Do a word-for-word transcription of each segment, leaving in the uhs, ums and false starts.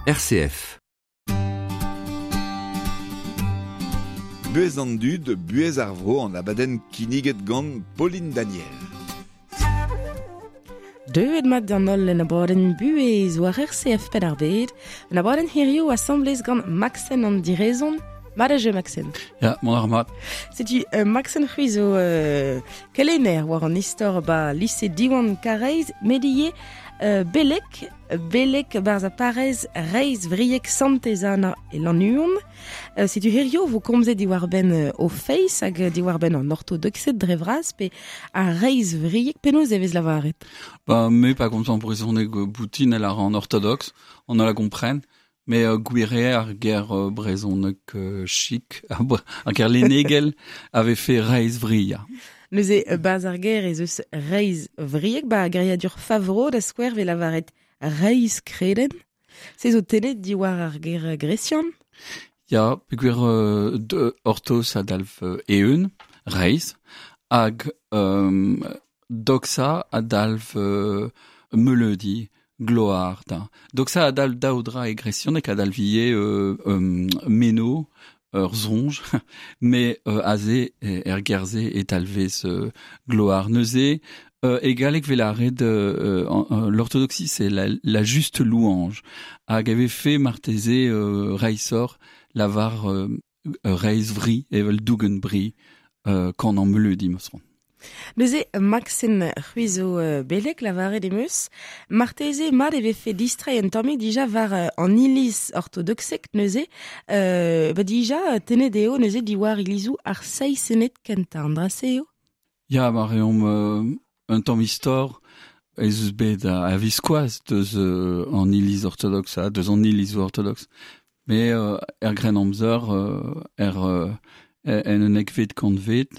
R C F. Buez an dud, buez ar vro an abadenn kinniget gant Pauline Daniel. Deuet mat d'an holl en abadenn buez war R C F Penn ar Bed, en abadenn hirio asamblez gant Maxen an direzon. Mat a jeu, Maxen. Ya, mon ar mat. Setu euh, Maxen c'hwi zo euh, kelenner war an istor ba lycée Diwan Karaez, medie euh, belek, belek barz a parez reiz vriek santezana e lanuon. Euh, setu hirio vo komzet diwar ben euh, o feiz hag diwar ben an orthodoxet dre vraz pe a reiz vriek penaos e vez lavaret. Ba, me pa komz an brezhoneg boutin el ar an orthodoxe, on a la kompren. Mais euh, gwire ar ger euh, brezhoneg euh, chic, ar ger lennegel avait fait reiz vria. Neuze euh, baz ar ger ez eus reiz vriek, ba geriadur Favreau da skouer ve lavaret reiz kreden. Se zo tenet diwar ar ger gresian? Ya, peogwir euh, de orthos adalv euh, eeun, reiz, hag euh, doxa adalv euh, meleudi, gloar da. Doxa adalv daoudra e gresian ek adalv ie euh, euh, meno, ur zonj, mais euh, aze er gerze et alvez euh, gloar. Neuze, euh, egalek velare de euh, euh, l'orthodoxie, c'est la, la juste louange. Hag avait fait marteze euh, reisor lavar euh, reiz vri evel dougen bri euh, kan an meleudi meusron. Neuze, Maxen c'hwi zo euh, belek lavaret emeus, marteze mat e vefe distrai un tammig dija war euh, an iliz orthodoxek neuze, euh, ba dija tenet eo neuze diwar ilizou ar seiz senet kentañ, an dra se eo? Ya, ma reomp euh, un tamm istor ez eus bet a, a viskoaz deus euh, an iliz orthodoxe, ha, deus an ilizou orthodoxe. Mais euh, er gren amzer, euh, er, euh, en un ekvet kantvet,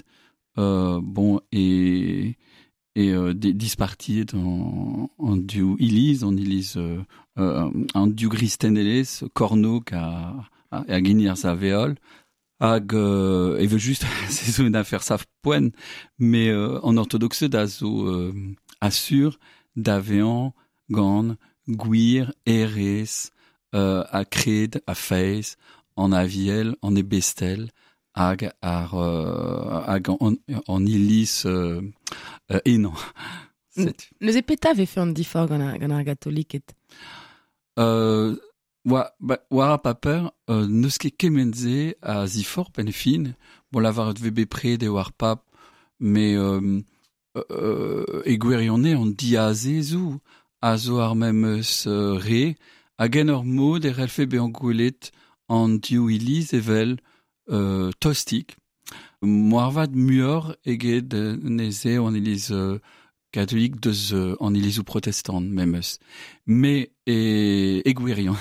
Euh, bon et et euh, dispartiet en en du iliz en iliz euh, euh, en du gristenelez kornog a a, a ginir sa veol hag euh, e veut juste c'est une affaire sav poen mais euh, en orthodoxe da zo euh, assure d'avean gant gwir erez euh, a kred a feiz en aviel en ebestel hag ar euh, hag an, an iliz euh, euh, enañ. Neuze peta vefe an difor gant ar, gant ar gatoliket? Euh, oa, ba, war ar paper, euh, neus ket kement-se a zifor pen fin. Bon, lavaret ve bepred eo ar pap, mais euh, euh, e gwirionez an diazezou a zo ar memes euh, re, hag en ur mod e relfe bezañ gwelet an div iliz evel Euh, tostik. Moarvat muioc'h eget neze an iliz euh, katolik deus euh, an ilizou protestant memes. Mais e, e gwirion.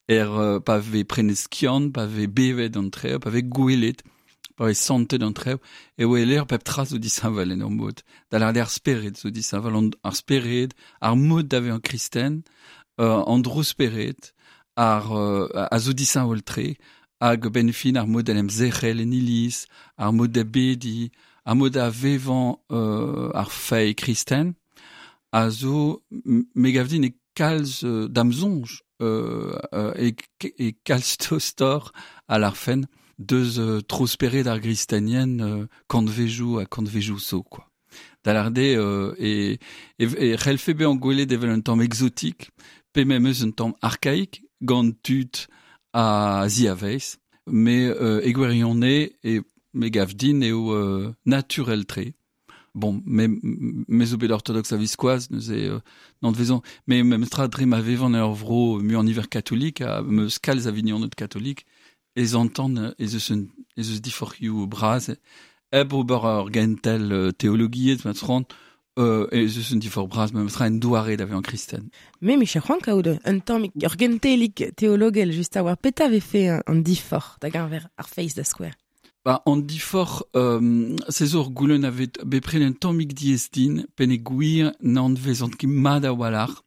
Er euh, pa ve prenet skiant, pa ve bevet an treo, pa ve gwelet, pa ve santet an treo, e weler pep tra zo disheñvel en ur mod. Da lâret ar spered zo disheñvel, an, ar spered, ar mod da vezañ kristen, euh, an dro spered, ar euh, a zo disheñvel tre, hag ben fin ar mod en em zerc'hel en iliz, ar mod da bedi, ar mod da vevañ euh, ar feiz kristen, a zo me gav din e kalz euh, da'm soñj euh, euh, e, e kalz tostor a ar fen deus euh, tro spered ar gristenien euh, kantvejou ha kantvejou zo, quoi. Da lâret eo euh, e, e, e c'hellfe bezañ gwelet evel un tamm exotique, pe memes un tamm archaïque, gant tud a ziavez, mais euh, e gwirionez e me gav din eo euh, naturel tre. Bon, me, me zo bet orthodoxe a viskoaz, neuze euh, n'an vezan, mais memes tra dre ma vevan ur vro mu an iver katolik, a meus kalz a vignoned katolik, ez antan ez eus un, ez eus diforc'hioù braz, hep ober ur gentel euh, teologiezh ma tran, Euh, ez eus un difor braz, memes tra en doare da vezañ kristen. Me me c'hoant kaout un tamm ur gentelik teologel just a war peta vefe an, an difor da geñver ar feiz da skouer. Ba, an difor, euh, se zo ur goulenn a vet bepred un tammig diaes din, pen e gwir n'an vezant ket mat a-walc'h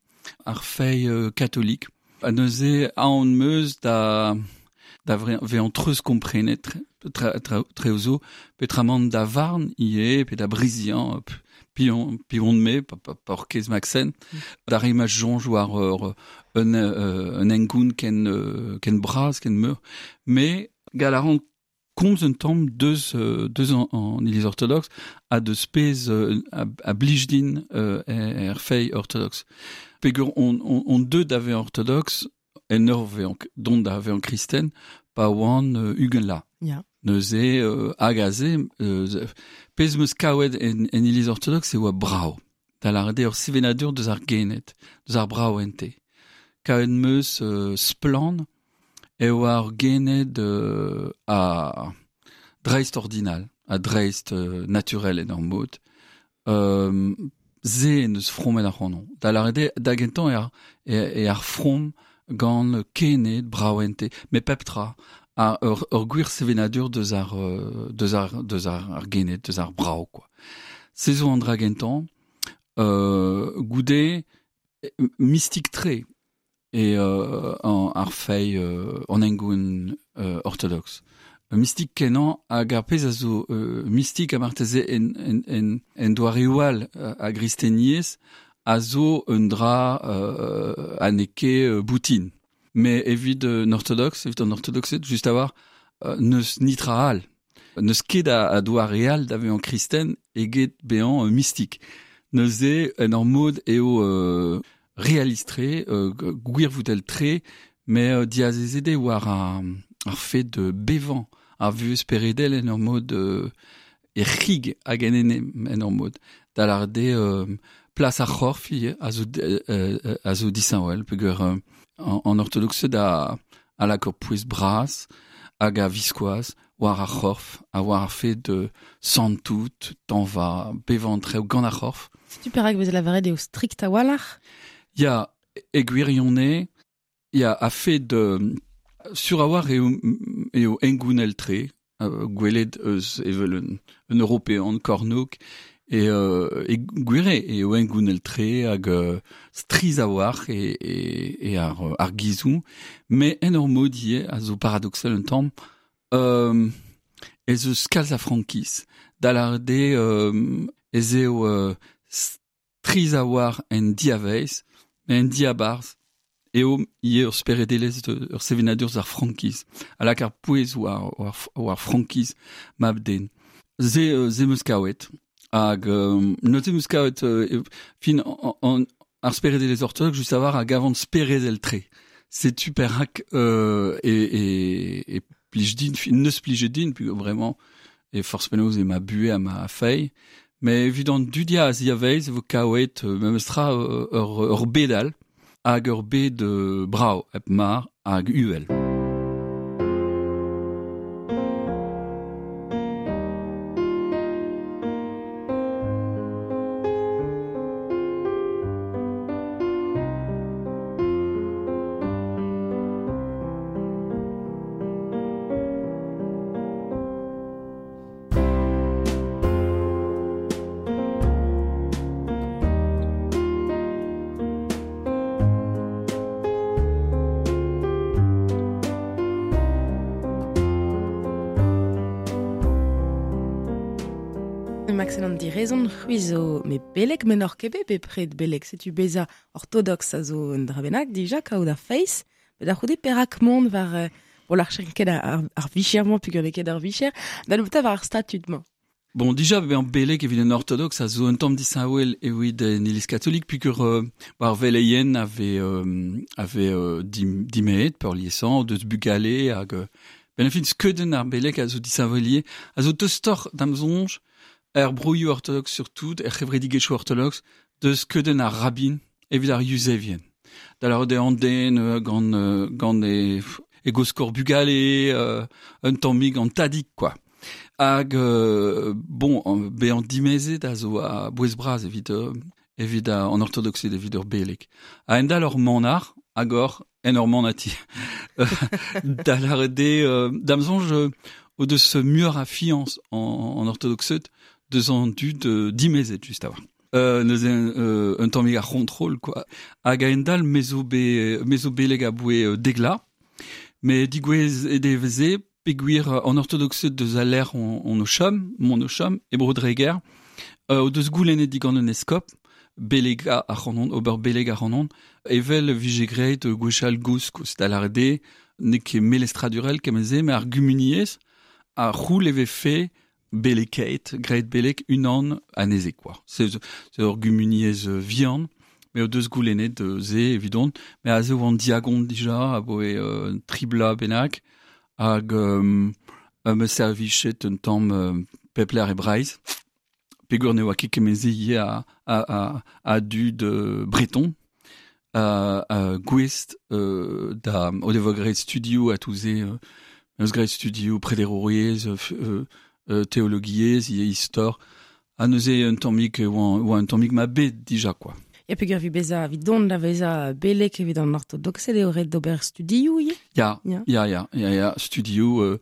ar feiz euh, katolik. Ha neuze aon meus da da vezañ treuz komprenet tre, tre, treo zo, petramant da varn ivez, pe da briziañ, pion, pion me, pa, pa, pa orkez Maxen, da rima jonj war ur, un, euh, un engoun ken, euh, ken braz, ken meur, mais galaran komz un tamm deus, euh, deus an, an iliz orthodoxe a deus pez euh, a, a blijdin euh, er fei orthodoxe. Pegur on, on, on deux d'ave orthodoxe en ur vean, dont da vean kristen, pa oan euh, ugen la. Ya. Neuze euh, hag aze, euh, pez meus kaouet en, en iliz orthodoxe e oa brao. Da la ur sevenadur deus ar genet, deus ar brao ente. Kaouet meus euh, splan e oa ar genet euh, a dreist ordinal, a dreist euh, naturel en ur mod. Euh, ze neus fromet ar c'honon. Da la da gentan e ar, e, e ar from gant kenet brao ente, me pep tra. A ur, ur gwir sevenadur deus ar, deus ar, deus ar, ar genet, deus ar brao, quoi. Se zo an dra gentan, euh, goude, mystique tre, e euh, an ar fei euh, an engoun euh, orthodoxe. Mystique kenan hag ar pezh a zo euh, mystique a marteze en, en, en, en doareoù all a gristeniez a zo un dra euh, a neke euh, boutin. Mais evit euh, an orthodoxe, evit an orthodoxed, just a war, euh, neus nitra all. Neus ket a, a doare all da vezañ kristen eget bezañ euh, mystique. Neuze en ur mod eo euh, réalistre, euh, gwir voudel tre, mais euh, diazezede war ar, ar fet de bevan, ar vuhez peredel en ur mod euh, e rig hag en ene en ur mod. Da l'arde euh, plas ar c'horf a zo, euh, a zo disheñvel, peogwir euh, en, en orthodoxe da a lak ur pouez bras hag a viskoaz war ar c'horf, a war ar fet de santout, tanva, bevan trev gant ar c'horf. Setu perak vez lavaret eo strikt a-walc'h? Ya, e gwirionez, ya a fet de sur a war eo, eo engounel tre, euh, gwelet eus evel un, un european kornok, e, euh, e gwire eo engounel tre hag euh, striz a war e, e, e ar, ar gizou, mais en ur mod ivez a zo paradoxal un tamm, euh, ez eus kalz a frankiz, da l'arde euh, ez eo euh, striz a war en diavez, mais en diabarz, eo ivez ur speredelezh de, ur sevenadur ar frankiz, a lak ar pouez war, war, war frankiz mab-den. Ze, euh, ze meus kaouet, hag euh, neuze meus kaouet euh, fin an, an, ar speredelezh orthodoxe just a war hag avant speredel tre. Setu perak euh, e, e, e plij din, fin neus plije din, puis vraiment, e forz penaos e ma buhe ha ma fei, mais evit an dudia a ziaveiz e vo kaouet euh, memes tra euh, ur, ur bedal hag ur bed euh, brao hep mar hag uhel. Maxen an direzon, c'hwi zo me belek men ur ket bet bepred belek, setu beza orthodoxe a zo un dra bennak, dija kaout ar feiz, bet ar c'houde perak mont war, euh, bon, ar ket ar, ar vicher-mañ peogwir n'eo ket ar vicher, da nebeutañ war ar statud-mañ. Bon, dija bezañ belek evit un orthodoxe a zo un tamm disheñvel evit en iliz katolik, peogwir euh, war veleien ave, euh, ave euh, dim, dimeet peurliesañ, deus bugale hag... Euh, ben en fin, skeudenn ar belek a zo disheñvelier, a zo tostoc'h d'am soñj, er broioù orthodoxe surtout, er c'hevredigezhioù orthodoxe, deus skeudenn ar rabin evit ar yuzevien. Da lavaret eo an den euh, gant, euh, gant e, e goskor bugale, euh, un tammig an tadig, quoi. Hag, euh, bon, bezañ dimezet a zo a bouez bras evit, euh, evit a, an orthodoxed evit ur belek. A endal ur manac'h, hag ur en ur manati. Da lavaret eo, euh, d'am soñj, euh, o deus muioc'h a fiañs en, en orthodoxed, deus an dud euh, dimezet, just a war. Euh, neuze euh, un tammig ar c'hontrol, quoi. Hag a endal me zo be, me zo beleg a boe euh, degla, mais digouez e deveze, peogwir an orthodoxed deus a lec'h on, on o chom, mon o chom, e bro Dreger, Euh, o deus goulennet digant un eskop, belega ar c'hanon, ober beleg ar c'hanon, evel vije graet gwechall gozh kost a lâret n'eo ket melestradurel kement-se, met ar gumuniezh a c'houl e vefe belekeit, graet belek unan anezhe quoi. C'est c'est ur gumuniezh vihan, mais o deus goulennet ze evidon, mais aze oan diagon dija, a boe euh, tribla bennak, hag euh, me servichet un tamm euh, pepler e Breizh, peogwir ne oa ket kement-se ivez a, a, a, a dud euh, breton, a, a gouest euh, da o devoa graet studioù a touze euh, eus graet studioù prederouriezh, euh, euh, théologiezh, ivez istor, ha neuze un tammig oa, oa un tammig ma bed dija quoi. Ya peogwir evit bezañ evit dont da vezañ belek evit an ortodoksed eo ret d'ober studioù ivez? Ya, Ya. ya, ya, ya, ya, studioù, euh,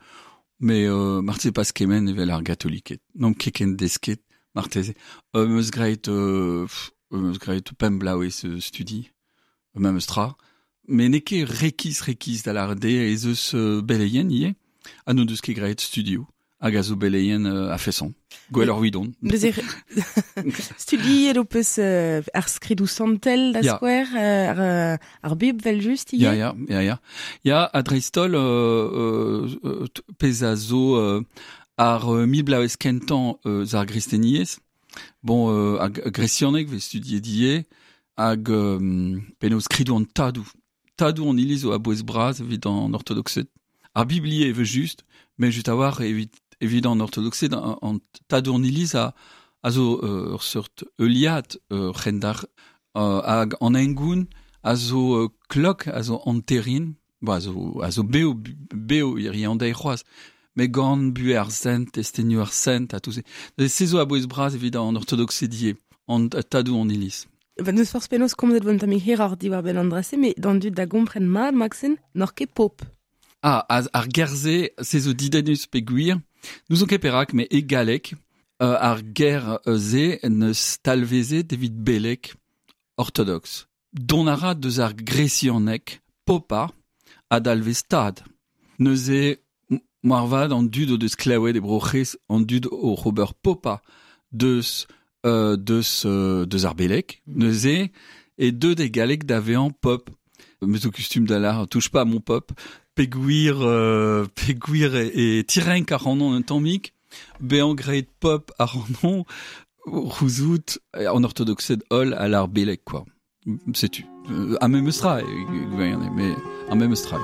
mais euh, marteze pas kement evel ar gatoliked. N'omp ket ken desket, marteze. Euh, meus graet, euh, pff, meus graet pemp bloavezh euh, studi, memes tra. Mais n'eo ket rekis rekis da lâret eo ez eus euh, beleien ivez, ha n'o deus ket graet studioù, hag a zo beleien euh, a-feson. Gwelloc'h evidon. Neuze studiet ho peus euh, ar skridoù santel da Ya. skouer, euh, ar, euh, ar Bibl vel just ivez? Ya, ya, ya, ya. Ya, ha dreist-holl, euh, euh, pezh a zo euh, ar euh, mil bloavezh kentañ eus ar gristeniezh. Bon, euh, hag gresianeg vez studiet ivez, hag euh, penaos skridoù an tadoù. Tadoù an iliz zo a-bouez bras evit an ortodoksed. Ar Bibl ivez evel just, met just a-walc'h evit, evit an ortodoksed, an, an tadoù an iliz a, a zo euh, ur seurt heuliad euh, c'hendalc'h, euh, hag an hengoun a zo euh, klok, a zo anterin, bo, a zo, a zo bev, bev hiziv an deiz c'hoazh, met gant buhez ar sent, testenioù ar sent, ha tout se. Se zo a-bouez bras evit an ortodoksed ivez, an tadoù an iliz. Ba, n'eus forzh penaos komzet vo un tammig hiroc'h diwar-benn an dra-se, met d'an dud da gompren mat, Maxen, n'oc'h ket pop. Ah, ar ger-se, se zo didennus peogwir, n'ouzon ket perak, met e galleg, euh, ar ger-se neus talvezet evit belek ortodox. Dont a ra deus ar gresianeg popa a dalvez tad. Neuze, moarvat an dud o deus klevet e Bro-C'hres, an dud o ober popa deus, euh, deus, euh, deus ar belek. Neuze, e deut e galleg da vezañ pop. Me zo kustum da lâr, touche pas à mon pop. Peogwir, euh, peogwir e, e tirenk ac'hanon un tammig, bezañ graet pop ac'hanon, c'houzout an ortodoksed holl a lâr belek, quoi. Setu. Euh, ar memes tra, e, mais ar memes tra.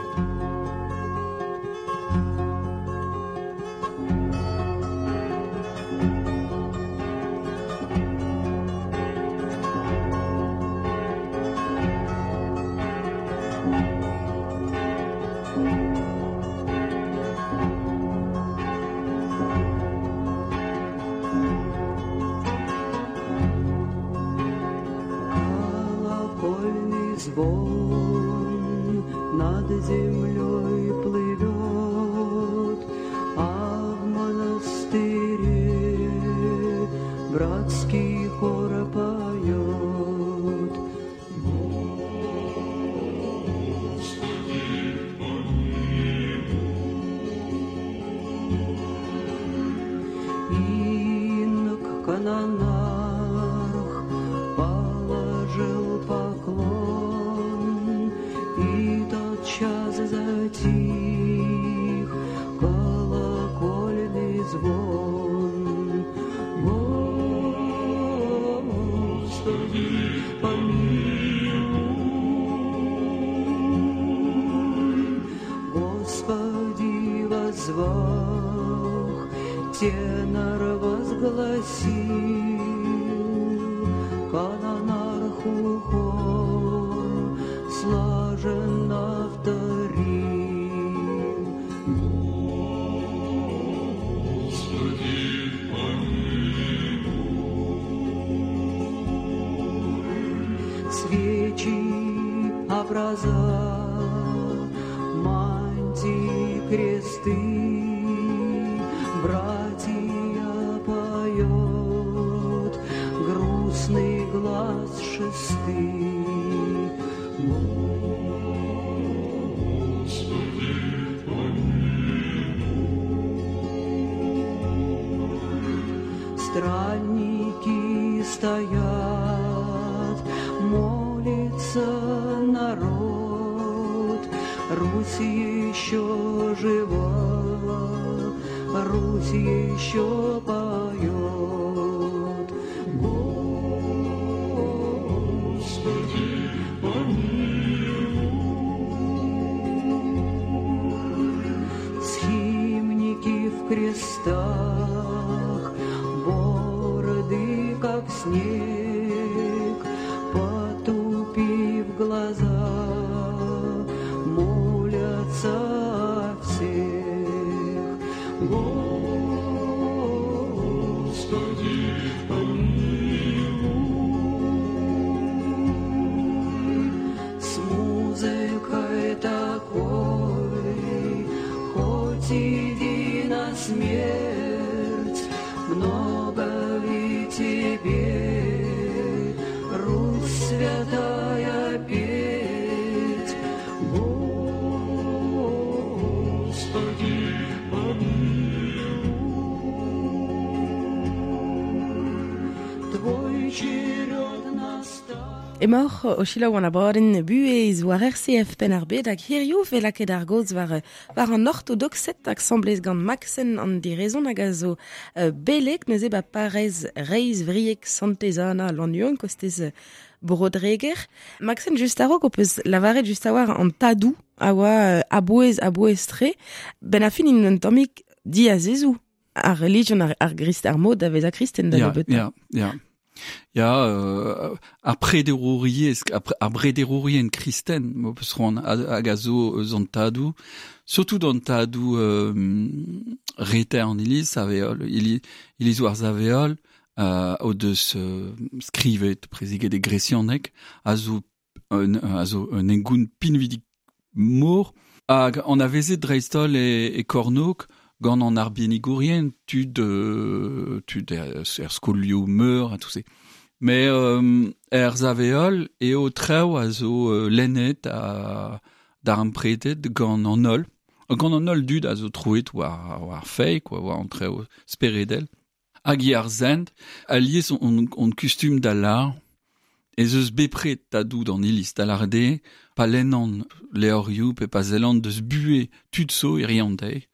Колокольный звон над землей плывет, а в монастыре братский хор поет. Господи, помилуй. Инок канонарх положил поклон, и тотчас затих колокольный звон. Господи, помилуй, Господи, воззвах, тенор возгласил, канонарху хор слаженно вторил. Господи, помилуй. Свечи, образа, мантии, кресты, братья поет грустный глас шесты. Господи, помилуй. Странники стоят, молится народ. Русь еще жива, Русь еще поет. Господи, помилуй. Схимники в крестах, бороды как снег, потупив глаза, молятся всех. Господи, помилуй. С музыкой такой, хоть иди на смерть, много ли тебе, Русь святая, петь? Господи, помилуй. Твой черед настал. Emaoc'h o selaou an abadenn buhez war R C F Penn-ar-Bed hag hiziv e lakaet ar gaoz war, war an ortodoxed hag asambles gant Maxen an direzon hag a zo euh, belek neuze ba parrez Reiz Vrieg Santez-Anna Lannuon kostez euh, Brodreger. Maxen just a-raok o peus lavaret just a war an tadou a oa euh, abouez abouez tre ben a fin in un tammig diazezou ar religion ar, ar grist ar mod a vez a kristen da Ya, nebeutañ. ya, ya. Ya, euh, ar prederouriezh, ar pre- ar brederourien kristen, mo peus c'hoant hag a zo eus an tadou, surtout d'an tadou euh, reter an iliz, saveol, iliz, iliz war saveol, euh, o deus euh, skrivet, preziget e gresianek, a zo un, a zo un engoun pinvidik mor, hag an avezet dreist-holl e, e kornok, gant an arbennigourien, tud, euh, tud er, er skolioù meur ha tout se. Mais euh, er zaveol eo traoù a zo euh, lennet a d'ar ampretet gant an holl. Gant an holl dud a zo troet war, war fei, quoi, war an traoù speredel. Hag i ar zent, alies on, on kustum da lar, ez eus bepred tadou d'an iliz da lar de, pa lennan leorioù pe pa zellan deus bue tud zo e rian dezhe.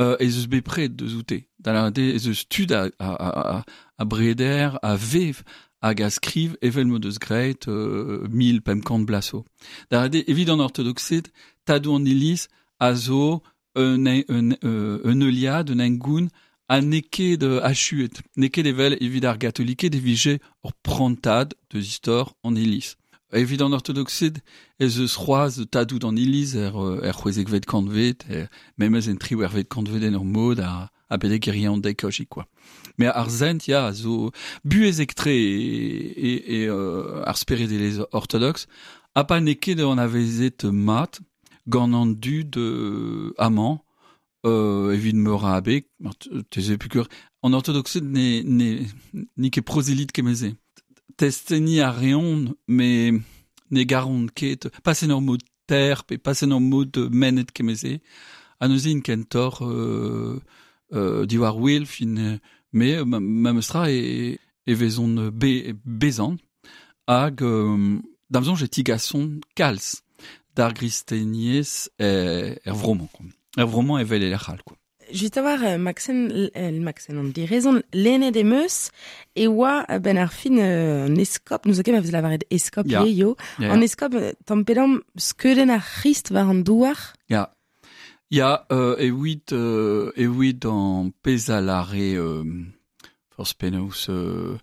Euh, ez eus bepred deus oute. Da lar de, ez eus tud a, a, a, a, a breder, a vev, hag a skriv evel mo deus graet euh, mil pemp kant blaso. Da lar de, evit an ortodoxed, tadou an iliz a zo un, un, euh, un euliad, un engoun, a n'eo ket euh, achuet. N'eo ket evel evit ar gatoliked e vije ur prantad deus istor an iliz. Evit an ortodoxed, ez eus c'hoazh tadou d'an iliz er, euh, er c'hwezekvet kantved, er, memez en triwec'hvet kantved en ur mod a, a bedek e rian dek hoji, quoi. Mais ar zent, ya, a zo buhezek-tre e, e, e euh, ar speredelezh ortodox, ha pa n'eo ket an avezet mat, gant an dud euh, amañ, euh, evit meur a abeg, mar teze pukur, an ortodoxed ne, ne, n'eo ket prozelit kemeze. Testeni a reont, mais ne garont ket, pas en ur mod ter, pe pas en ur mod menet kemeze, ha neuze int kentor euh, euh, diwar wel fin, mais ma, ma meustra e, e vezont be, bezant, hag euh, da'm soñj e tigasont kalz d'ar gristeniez er, er vromañ, quoi. Er vromañ evel e lec'h all, quoi. Just a war, euh, Maxen, euh, Maxen, an direzon, lennet em eus, e oa euh, ben ar fin euh, an eskop, nous o ket ma vez lavaret eskop Ya. eo, Ya, an eskop euh, tamm skeudenn ar C'hrist war an douar. Ya. Ya, euh, e oit, euh, e oit an pezh a lare, euh, forzh penaos, euh,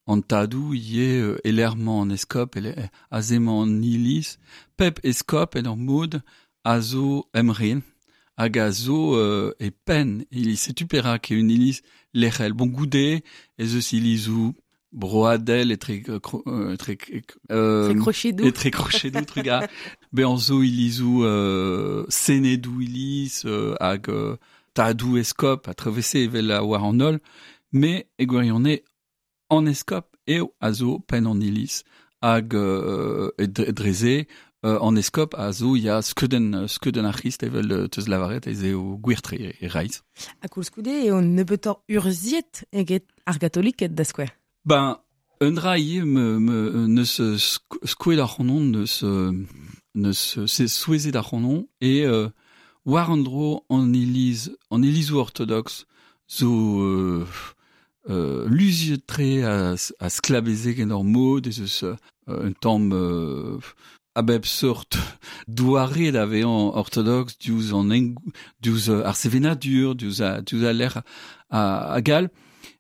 an tadou ivez euh, elermañ an eskop, ele, aze-mañ an iliz, pep eskop en ur mod a zo emren, hag a zo euh, e penn iliz. Setu perak eo un iliz lec'hel. Bon, goude, ez eus ilizou broadel etre, euh, cro, euh, etre, euh, Tre krochedou. Etre krochedou, truga. Bezañ zo ilizou euh, senedou iliz, euh, hag euh, tadou eskop a trevese evel a war an holl, mais e gwirionez an eskop eo a zo penn an iliz hag euh, e dreze euh, an eskop a zo ya skeudenn, skeudenn ar C'hrist evel euh, teus lavaret ez eo gwir-tre e reizh. Ha koulskoude eo nebeutoc'h urzhiet eget ar gatoliked da skouer. Ben, Un dra ivez me, me, neus skoet ar c'honon, neus, neus se souezet ar c'honon, e euh, war an dro an iliz, an ilizou orthodoxe zo euh, euh, luziet tre a, a sklabezek en ur mod, ez eus euh, un tamm euh, a bep sort doare da vezañ orthodoxe diouzh an eng, diouzh ar sevenadur, diouzh a, diouzh a lec'h a, a gal,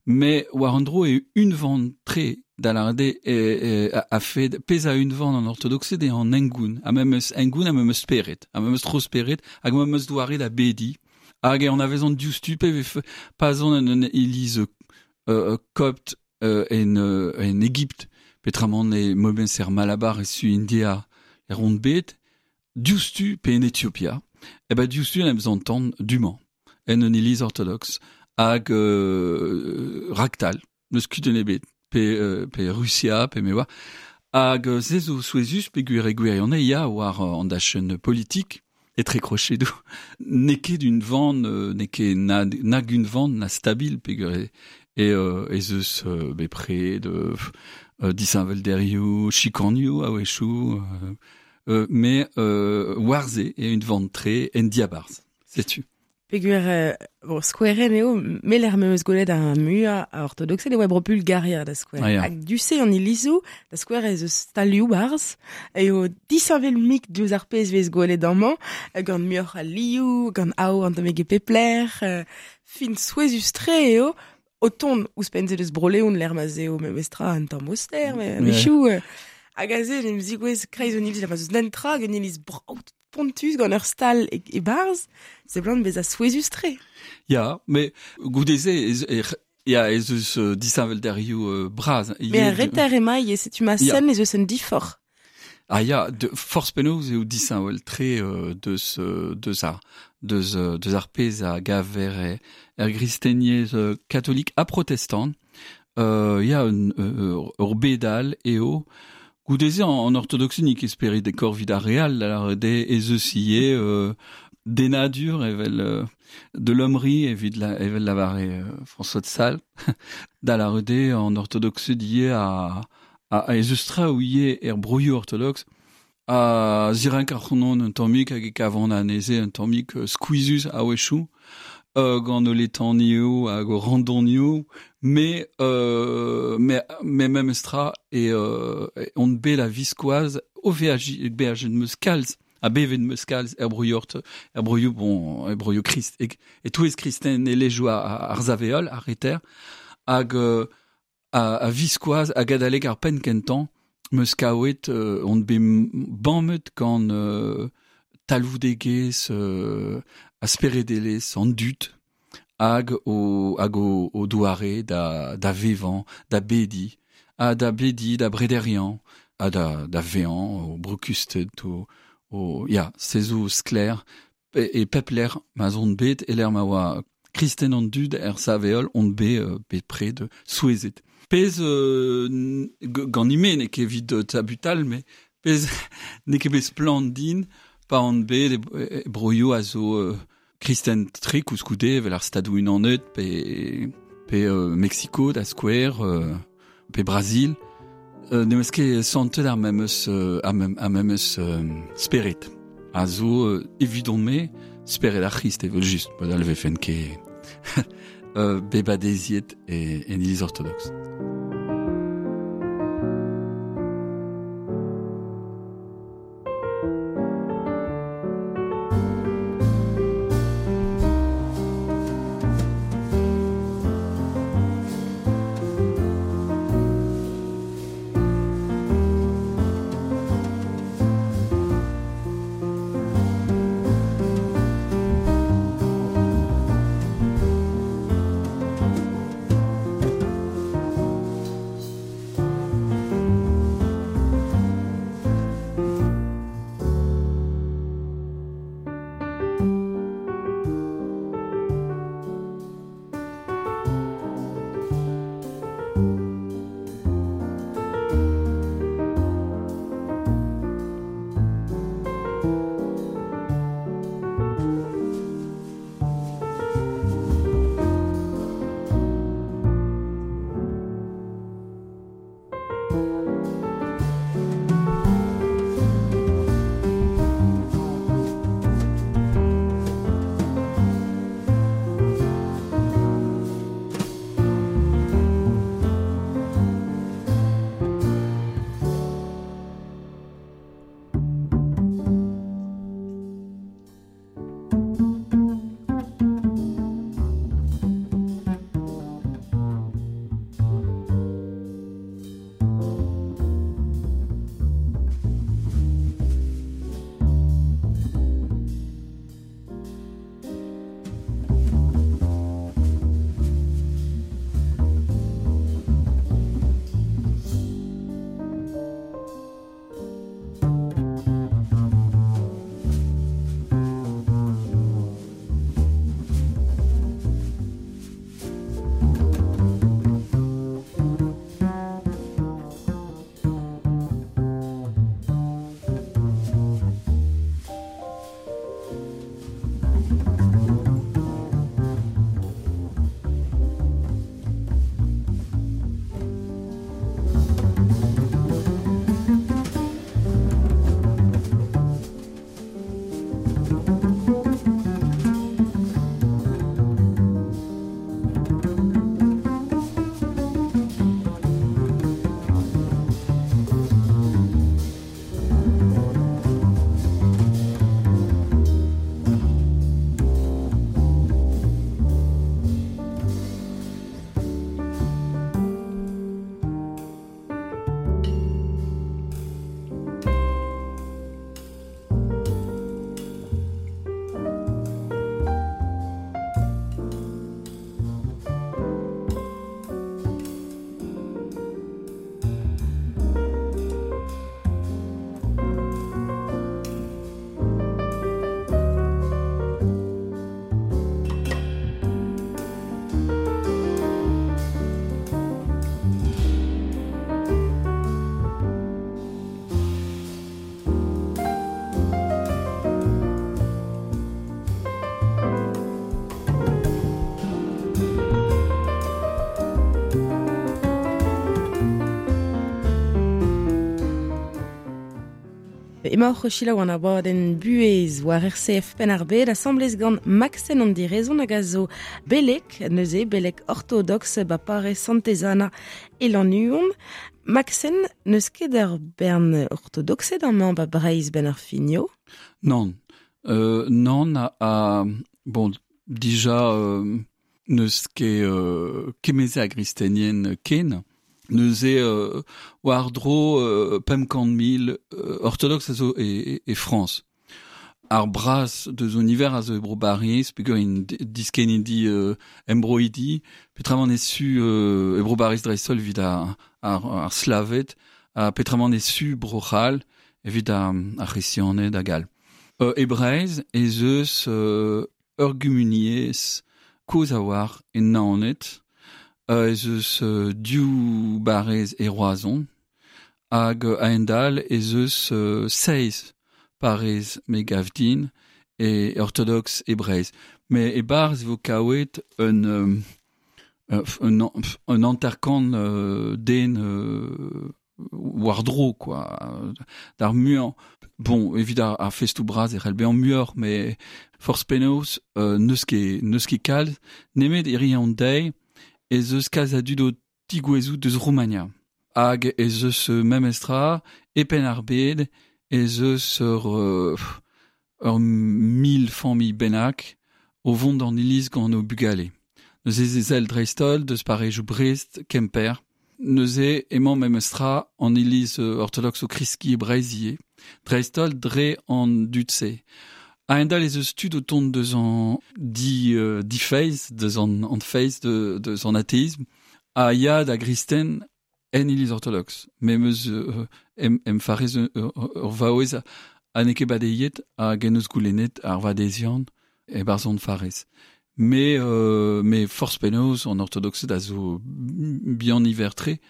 mais war an dro e unvan tre da l'arde e, e, a, a fed pez a unvan an orthodoxe de an engoun, a memes engoun a memes speret, a memes tro speret, hag memes doare da bedi, hag e an avezan diouzhtu pe vef pazon en un iliz euh, copte euh, en, euh, en Égypte, petramant e moben ser Malabar e su India e rond bet, diouzhtu pe en Ethiopia, e ba diouzhtu en em zantan duman, en un iliz orthodoxe, hag euh, raktal, neus kudenn ebet, pe, euh, pe Russia, pe me oa, hag euh, se zo souezus pe gwir e gwirion e ya war euh, an dachenn politik, etre krochedoù, n'eo ket un van, euh, n'eo ket na, nag un van na stabil pe gwir e, e euh, ez eus euh, bepred, euh, euh, disheñvel derioù, chikanioù a-wechoù, euh, euh, mais euh, war se e un van tre en diabarzh, setu. Peogwir, euh, bon, skoueren eo, meler meus gwelet ar mua a orthodoxe e oa bro Bulgaria da skouer. Ah, ya. Hag du-se an ilizou, da skouer ez eus stalioù barz, eo disheñvel mik diouzh ar pezh vez gwelet amañ, gant muioc'h a lioù, gant aour an tammig e pep lec'h, euh, fin souezhus-tre eo, o tont ouzhpenn-se deus Bro-Leon lec'h ma 'z eo memestra un tamm aoster, mais Ouais. a-wechoù, euh, hag aze en em zigouez kreiz un iliz, ma 'z eus nentra hag un iliz brav pontus gant ur stal e, e barz, seblant bezañ souezhus-tre. Ya, mais goude-se ez, e, ya, ez eus euh, disheñvel derioù euh, bras. Mais ar reter emañ e setu ma Ya. sen ez eus un diforc'h. Ah ya, de, forzh penaos eo disheñvel tre euh, deus, euh, deus ar, deus, euh, deus ar pezh a gaver e, er gristeniezh euh, katolik ha protestant. Euh, ya, un, euh, ur bedal eo. Goude-se an, an orthodoxe nik esperit e korvid ar real, ar de ez eus ivez euh, denadur evel euh, de l'hommerie evit la, evel lavare euh, François de Sales, da la rede an orthodoxe die a, a, a ez eus tra ouie er broioù orthodoxe, a zirenk ar c'honon un tammig hag e kavan anezhe un tammig euh, skuizhus a-wechoù, euh, gant o letanioù hag o randonioù, mais, euh, mais, mais memestra e, euh, on bet la viskoaz o veaji, beajen meus kalz, a bevet meus kalz er broioù ort, er broioù, bon, er broioù krist, e, e touez kristen e lejoù ar, ar zaveol, ar reter, hag euh, a, a viskoaz hag adalek ar penn kentañ, meus kaouet euh, on bet bammet gant euh, talvoudegezh euh, a speredelezh an dud hag o, hag o, o doare da, da vevañ, da bedi, ha da bedi, da brederiañ, ha da, da vezañ, o brokusted, o, o, ya, se zo sklaer, e, e pep lec'h ma 'z on bet, e lec'h ma oa kristen an dud er saveol, on bet euh, bet pred souezhet. Pezh euh, gant ime n'eo ket evit euh, tabutal, mais pezh n'eo ket bet splann din, pa on bet e, e broioù a zo euh, kristen tre koulskoude evel ar Stadoù Unanet pe, pe euh, Mexico da skouer, euh, pe Brazil. Euh, n'em eus ket santet ar memes, euh, ar mem, ar memes euh, spered. A zo euh, evidon-me spered ar C'hrist evel just, mod all vefen ket euh, bebadeziet e, en iliz orthodoxe. Emaoc'h o selaou an abadenn buhez war R C F Penn-ar-Bed asambles gant Maxen an Direzon hag a zo belek, neuze belek orthodoxe ba parrez Santez-Anna e Lannuon. Maxen, n'eus ket ur bern orthodoxed amañ ba Breizh ben ar finio? Non. Euh, non, a, a, bon, dija, euh, n'eus ket euh, kemeze a gristenien ken. Neuze euh, war dro euh, pemp kant mil euh, orthodoxe a zo e, e, e France. Ar braz deus an hiver a zo e bro Bariz, peogwir int diskenidi euh, embroidi, peotramant e su euh, e bro Bariz dreist-holl evit ar, ar, ar Slaved, ha peotramant e su bro C'hall evit ar, ar C'hresianed hag all. Euh, e Breizh ez eus euh, ur gumuniezh kozh a-walc'h e Naoned, euh, ez eus euh, div barrez e Roazhon, hag euh, a-hend-all ez eus euh, seizh parrez me gav din e orthodoxe e Breizh. Mais e barz e vo kaouet un, euh, un, un hanter-kant euh, den euh, war-dro, quoi. D'ar muiañ. Bon, evit ar, ar festou bras e c'hell bezañ muioc'h, mais forzh penaos, euh, n'eus ket, n'eus ket kalz, nemet e ri an deiz, ez eus kalz a dud o tigouezout deus Roumania. Hag ez eus memestra, e Penn-ar-Bed, ez eus ur, euh, ur mil familh bennak o vont d'an iliz gant o bugale. Neuze ez ezel dreist-holl deus parrezioù Brest, Kemper. Neuze emañ memestra an iliz orthodoxe o kreskiñ e Breizh ivez. Dreist-holl dre an dud-se. A-hend-all ez eus tud o tont deus an di, euh, di feiz, deus an, an feiz, de, deus an athéisme, a ya da gristen en iliz orthodoxe. Memes euh, em, em farez ur, ur vaouez a n'eo ket badeiet hag en eus goulennet ar vadezian e barzh an farez. Mais, euh, mais forzh penaos an orthodoxed a zo bihan niver-tre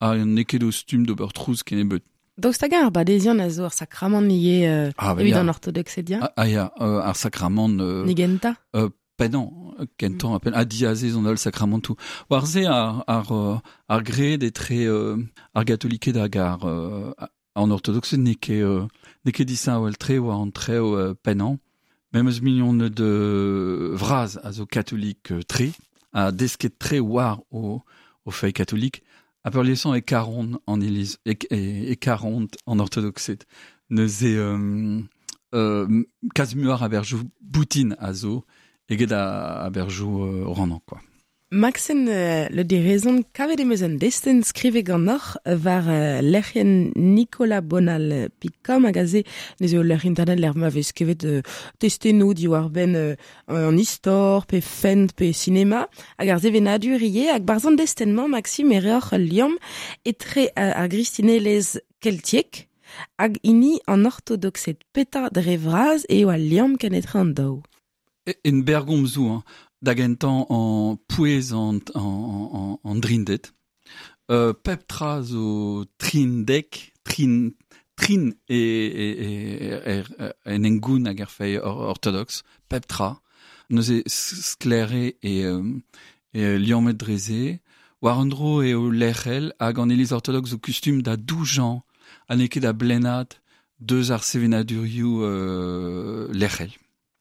ha n'eo ket o stumm d'ober trouz kennebeut. Daoust hag ar badezian a zo ar sakramant ivez euh, Ah, bah, evit ya. an orthodoxed ya? Ah, ah, ya, euh, ar sakramant, euh, Nigenta? euh, pennañ, kentañ, a penn, ha diazez an holl sakramantoù. War se ar, ar, euh, ar gred etre, euh, ar gatoliked hag ar, euh, an orthodoxed n'eo ket, euh, n'eo ket disheñvel-tre war an trev, euh, pennañ. Memes mignoned de vraz a zo katolik, euh, tre, a desket tre war o, o feiz katolik, a peurliesañ e karont an iliz, e, e, e karont an orthodoxed. Neuze, euh, euh, kalz muioc'h a berjoù boutin a zo, eget a, a berjoù, euh, rannañ, quoi. Maxen, euh, le direzon kavet em eus un destenn skrivet ganeoc'h war, euh, lec'hienn Nicolas Bonal Picom hag aze neuze o lec'h internet lec'h ma vez skrivet, euh, testennoù diwar-benn, euh, an istor, pe fent, pe sinema, hag ar sevenadur ivez, hag barzh an destenn-mañ, Maxime, e reoc'h ul liamm etre, euh, ar gristinelezh keltiek hag hini an orthodoxed. Petra dre vras eo al liamm ken etre an daou? E, en bergomzoù, hein. Da gentañ an pouez an, an, an, an drinded. Euh, pep tra zo trindek, trin, trin e, e, e, e, e, en engoun hag ar feiz or, orthodoxe, pep tra. Neuze sklere e, euh, e liammet dreze. War an dro eo lec'hel hag an iliz orthodoxe zo kustum da doujañ ha n'eo ket da blennad deus ar sevenadurioù, euh, lec'hel.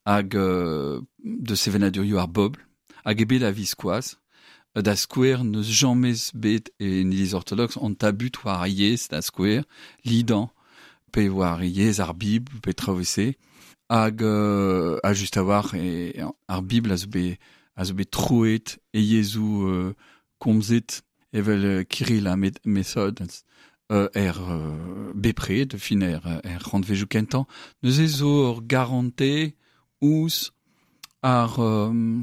Hag, euh, de sevenadurioù ar bobl, hag ebet a viskoazh, da skouer n'eus jamez bet en iliz orthodoxe an tabut war ar yezh da skouer, lidan, pe war yezh ar Bibl, pe traoù-se, hag, euh, a just a-walc'h e, ar Bibl a zo bet, a zo bet troet e yezhoù, euh, komzet evel, euh, Kirill ha Met-, Method, euh, er, euh, bepred, fin er, er rannvezioù kentañ. Neuze zo ur garante ouzh ar, euh,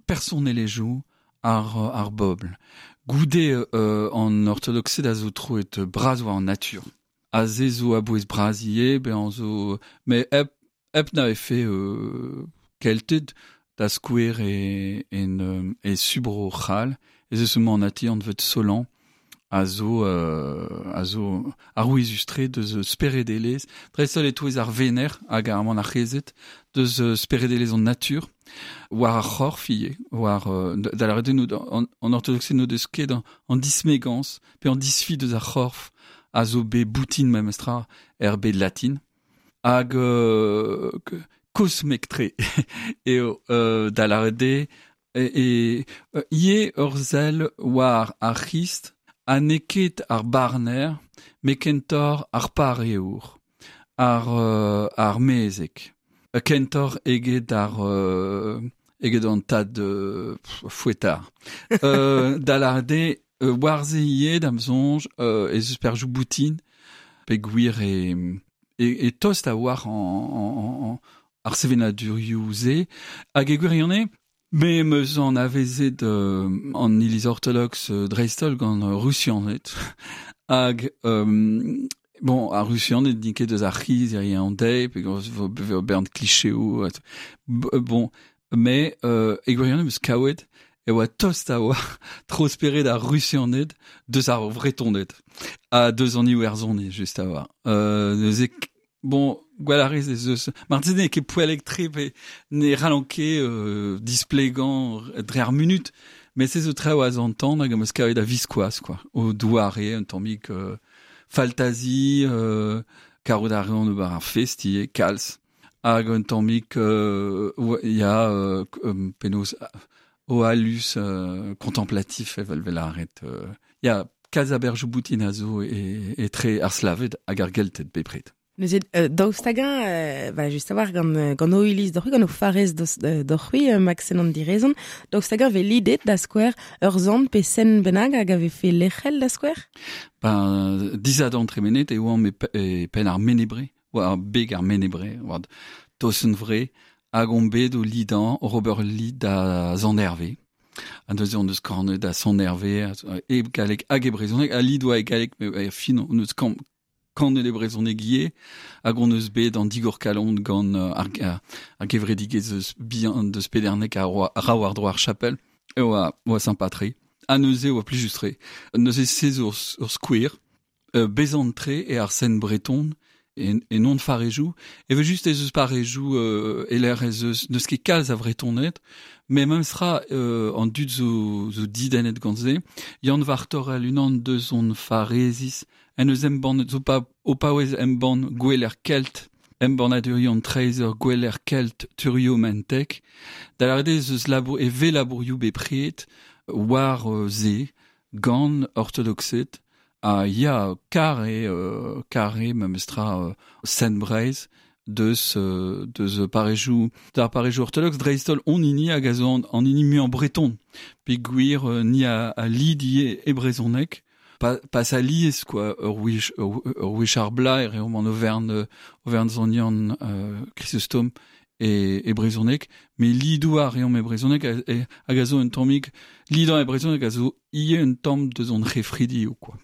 personelezhioù ar, ar bobl. Goude, euh, an orthodoxed a zo troet bras war an natur. A ze zo a-bouez bras ivez, bezañ zo... Mais hep, hep na efe, euh, kelted da skouer e, en, euh, e subro c'hall, ez eus manati anvet Solan, a zo, euh, a zo arouezus-tre deus speredelezh, dreist-holl e-touez ar vener hag ar manac'hezed, deus, euh, speredelezh an natur, war ar c'horf ivez, war, euh, da lavaret eo nou, an, an orthodoxed n'o deus ket an, an dismegañs, pe an disfi deus ar c'horf a zo bet boutin memestra er bed latin. Hag euh, kosmek-tre eo euh, da lâret e, e ie ur sell war ar C'hrist ha n'eo ket ar barner met kentoc'h ar pareour, ar, euh, ar mezeg. Kentoc'h eget ar euh, eget an tad euh, fouetard. euh, da lâret eo euh, war se ivez d'am soñj euh, ez eus perzhioù boutin peogwir e, e, e tost a-walc'h an, an, an, ar sevenadurioù-se hag e gwirionez me 'm eus anavezet euh, an iliz ortodoks euh, dreist-holl gant euh, Rusianed hag euh, bon ar Rusianed n'int ket eus ar c'hiz hiziv an deiz pe vo bern klicheoù bon mais euh, e gwirionez 'm eus kavet e oa tost a-walc'h tro-spered ar Rusianed deus ar Vretoned ha deus an Iwerzhoniz just a-walc'h euh, neuze bon gwell a rez ez eus marteze n'eo ket poellek-tre pe ne c'hallan ket euh, displegañ dre ar munud met se zo traoù a zantan hag am eus kavet a-viskoazh quoi o doare un tammig euh, faltazi euh, karout a reont ober ar fest ivez kalz hag un tammig euh, ya euh, penaos oalus euh, contemplatif evel 'vez lâret euh, ya kalz a berzhioù boutin a zo e, etre ar Slaved hag ar Gelted bepred. Neuze, euh, daoust hag-eñ, euh, bah, just a-walc'h gant, gant ho iliz deoc'h-c'hwi, gant ho farrez deoc'h-c'hwi, euh, Maxen an Direzon, daoust hag-eñ 'vez lidet da skouer ur sant pe sent bennak hag a vefe lec'hel da skouer? Ben, disadorn tremenet e oamp e, e penn ar Mene-Bre, war beg ar Mene-Bre, war Tosenn Vre, hag omp bet o lidañ, oc'h ober lid da Sant Herve. Ha neuze hon eus kanet da Sant Herve, e galleg hag e brezhoneg, al lid oa e galleg, met er fin hon eus kamp kanet e brezhoneg ivez, hag hon eus bet an digor-kalon gant ar, ar, ar gevredigezh eus bihan deus Pederneg a ra war-dro ar chapel, e oa, oa sympa-tre. Ha neuze oa plijus-tre. Neuze se zo ur skouer, euh, bezant-tre e ar sent breton, e, e non farrezioù, evel just ez eus parrezioù euh, e-lec'h ez eus n'eus ket kalz a Vretoned, met memes tra euh, an dud zo, zo dedennet gant se. Yann Vartorel unan deus hon farreziz, en eus embannet zo pa, o paouez embann Goueler Kelt, embannadurioù an Treizher Goueler Kelt Turio Mentek, da lâret eo ez eus labour e vez labourioù bepred war euh, se gant ortodoksed ha ya kar eo euh, kar eo memes tra euh, sent Breizh deus euh, deus parrezioù d'ar parrezioù ortodoks dreist-holl hon hini hag a zo an, an hini muiañ breton peogwir euh, ni a, a lid ivez e brezhoneg pa, pas alies quoi ur wech ur, ur wech ar bloaz e reomp an overenn overenn Sant Yann euh, Chrysostome e, e brezhoneg met lidoù a reomp e brezhoneg hag a zo un tammig lidañ e brezhoneg a zo ivez un tamm deus hon c'hefridioù quoi.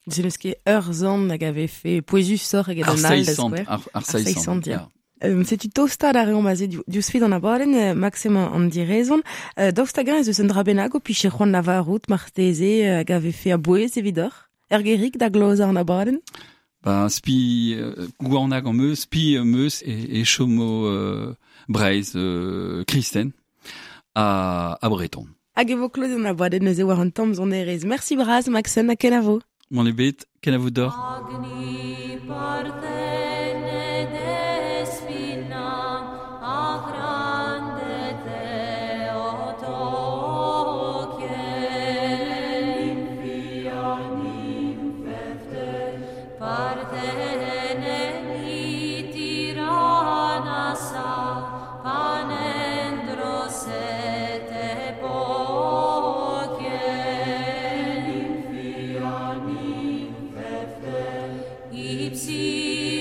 Se n'eus ket ur sant hag a vefe pouezusoc'h eget an all da skouer. Ar, ar seizh sant, ya. Euh, setu tostaat a reomp aze diouzh fin an abadenn, Maxime an Direzon. Euh, daoust hag-eñ ez eus un dra bennak ho pije c'hoant lavarout marteze hag a vefe a-bouez evidoc'h? Ur gerig da glozañ an abadenn? Ben, spi euh, goanag am eus, spi am eus e, e chomo euh, Breizh euh, kristen ha, ha breton. Hag e vo klozet an abadenn neuze war an tamm sonerezh. Mersi bras, Maxen, ha kenavo. Mann ebet, kenavo deoc'h. Agni Parthene Despina Achrande Theotoke Nymphia nymphefte Parthene Tiranasa Panendros et epoche Nymphia nymphefte Ipsi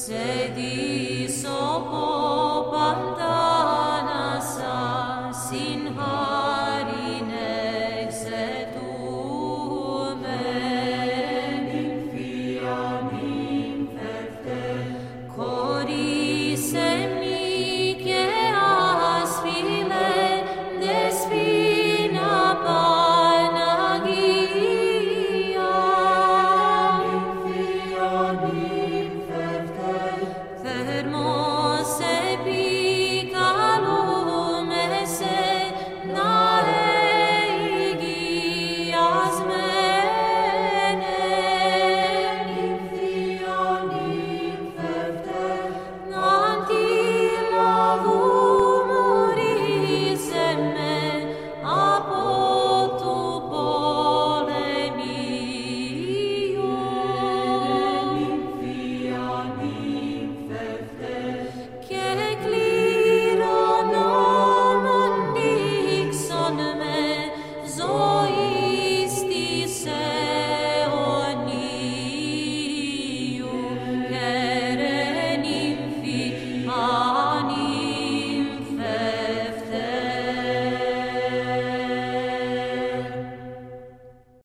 Sedi